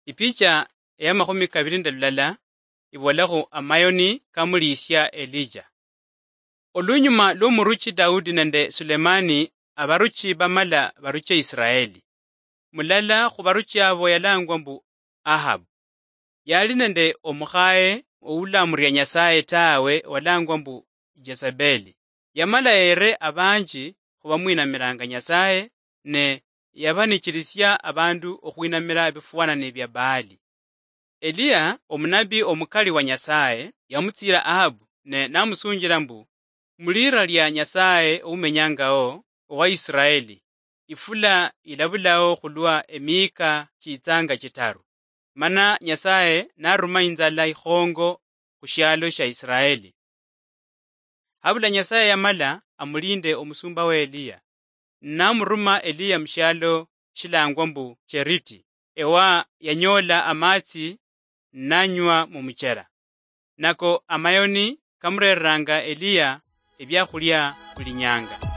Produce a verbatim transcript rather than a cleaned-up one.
Ipicha eya makhumi kabiri nende lulala ibolakhu amayoni kamuliisia Elija. Olunyuma lwomuruchi Daudi nende Sulemani, abaruchi bamala baruche Israeli. Mulala khubaruchi abo yalangwa mbu Ahabu. Yali nende omukhaye oulamuria Nyasaye tawe, walangwa mbu Jezebeli. Yamala yere abanji khubamwinamiranga Nyasaye, ne yabanichirisia abandu okhwinamira ebifwanani bia Baali. Eliya, omunabi omukali wa Nyasaye, yamutsiira Ahabu ne namusunjira mbu, "Mulira lia Nyasaye oumenyangao owa Israeli, ifula ilabulao khulwa emiika chiitsanga chitaru." Mana Nyasaye naruma inzala ikhongo khushialo shia Israeli. Habula Nyasaye yamala amulinde omusumba wa Eliya, namuruma Eliya mushialo shilangwa mbu Cheriti, ewa yanyoola amatsi nanywa mumuchera. Nako amayoni kamurereranga Eliya ebiakhulia buli nyanga.